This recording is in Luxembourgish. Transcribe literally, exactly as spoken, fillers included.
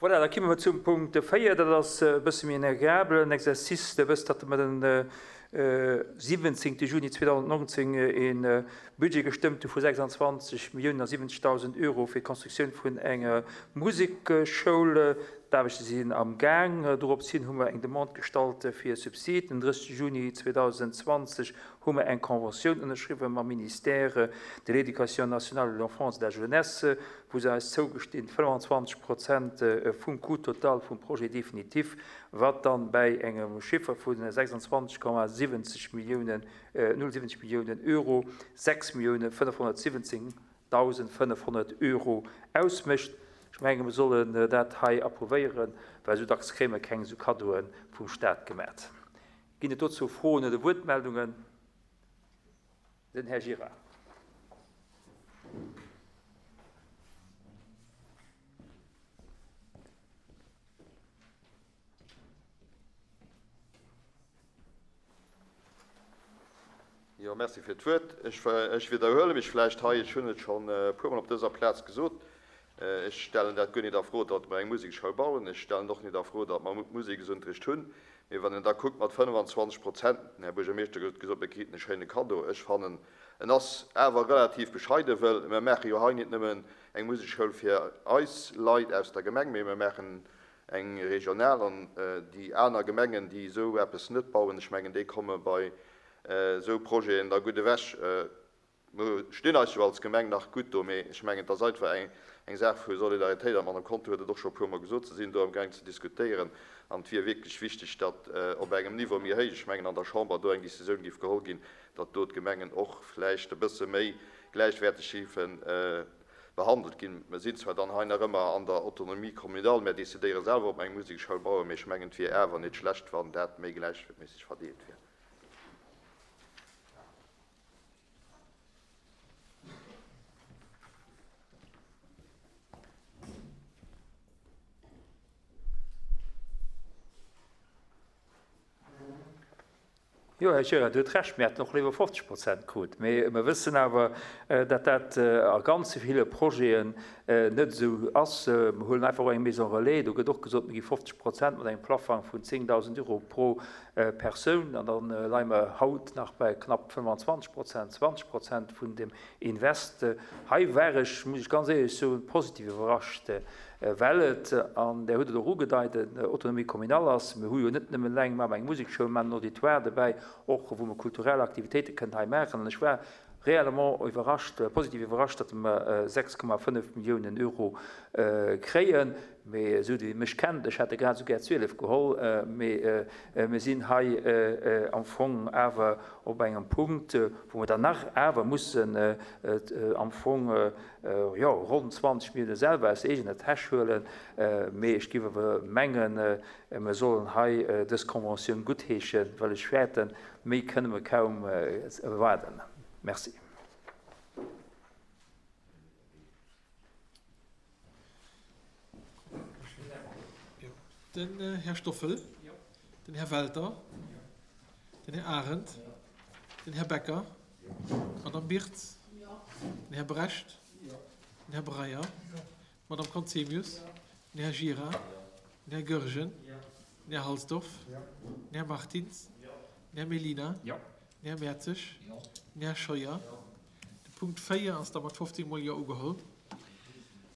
Voilà, da komme mer zum Punkt véier. Dat ass e bësse méi en agreabelen Exercice. Dir wësst, datt mer den siwwenzéngte Juni zweedausendnonzéng e Budget gestëmmt hu vu sechsandzwanzeg Milliounen a siwwenzegdausend Euro fir d'Konstruktioun vun enger Musekschoul. D'Aarbechte sinn am Gaang. Doropshin hu mer eng Demande gestallt fir e Subsid. Den drëssegste Juni zweedausendzwanzeg hu mer eng Conventioun ënnerschriwwen mam Ministère de l'Éducation nationale, de l'Enfance et de la Jeunesse, wou se eis zougestinn, fënnefanzwanzeg Prozent vum Coût total vum Projet définitif, wat dann bäi engem Chiffer vu sechsandzwanzeg Komma siwwenzeg Milliounen, null siwwenzeg Milliounen Euro, sechs Milliounen fënnefhonnertsiwwenzéngdausend fënnefhonnert Euro ausmécht. Ech menge mer sollen dat hei approuvéieren, well esou dacks kréie mer keng esou Kaddoe vum Staat gemat. Ginn et dozou Froen oder Wuertmeldungen? Den Här Gira. Jo, merci fir d'Wuert. Ech, ech widderhuele mech vläicht hei, ech hunn et schonn e puermol op dëser Plaz gesot, ech stellen dat guer net a Fro, datt mer eng Musekschoul bauen. Ech stellen och net a Fro, datt mer Museksunterricht hunn. Mee wann een da kuckt mat fënnefanzwanzeg Prozent, den Här Buergermeeschter huet gesot, mir kriten e schéine Kaddo, ech fannen, en ass awer relativ bescheiden, well mer maache jo hei net nëmmen eng Musekschoul fir eis Leit aus der Gemeng, mee mer maachen eng regional an déi aner Gemengen, déi esou eppes net bauen, ech mengen, déi komme bei esou Projeten da gutt ewech. Mer stinn eis jo als Gemeng nach gutt do, mee ech mengen, et ass einfach eng, eng Saach vu Solidaritéit. An d'Madame Conter huet et och scho e puermol gesot, se sinn do amgaang ze diskutéieren. An et wier wierklech wichteg, datt op engem Niveau méi héich, ech mengen an der Chamber, do eng Décisioun géif geholl ginn, datt do d'Gemengen och vläicht e bësse méi gläichwäerteg géife behandelt ginn. Mer sinn zwar dann hei nach ëmmer an der Autonomie communale, mer decidéiere selwer, ob mer eng Musekschoul bauen, mee ech mengen, et wier awer net schlecht, wann dat méi gläichméisseg verdeelt wier. Jo, Här Gira, Dir hutt Recht, mir hätten och léiwer fofzeg Prozent krut. Mee mir wëssen awer, datt dat a ganz ville Projeten net esou ass. Mir huelen einfach och eng Maison relais, do gëtt och gesot, mir gi fofzeg Prozent mat engem Plafang vun zéngdausend Euro pro Persoun. An da leie mer haut nach bei knapp fënnefanzwanzeg Prozent, zwanzeg Prozent vun dem Invest. Hei war ech, muss ech ganz éierlech soen, positiv iwwerrascht, well et, an Der hutt et och ugedeit, en Autonomie communale ass. Mir hu jo net nëmmen eleng, mir maachen eng Musekschoul, mir maachen en Auditoire dobäi, och wou mer kulturell Aktivitéite kënnen hei maachen. An ech war réellement iwwerrascht, positiv iwwerrascht, datt mer sechs Komma fënnef Milliounen Euro kréien. Mee esou wéi mech kennt, ech hätt der grad esou gär zwielef geholl, mee mir sinn hei am Fong awer op engem Punkt, wou mer dann nach awer mussen am Fong, jo, ronn zwanzeg Millioune selwer aus eegener Täsch huelen. Mee ech géif awer mengen, mir sollen hei dës Conventioun guttheeschen, well ech fäerten, méi kënne mer kaum erwaarden. Merci. Den Här Stoffel, den Här Welter, den Här Arendt, den Här Becker, d'Madame Birtz, den Här Brecht, den Här Breyer, d'Madame Conzemius, den Här Gira, den Här Goergen, den Här Halsdorf, den Här Martins, den Här Mellina, den Här Mertzig, den Här Scheuer. De Punkt véier ass da mat fofzéng Mol Jo ugeholl.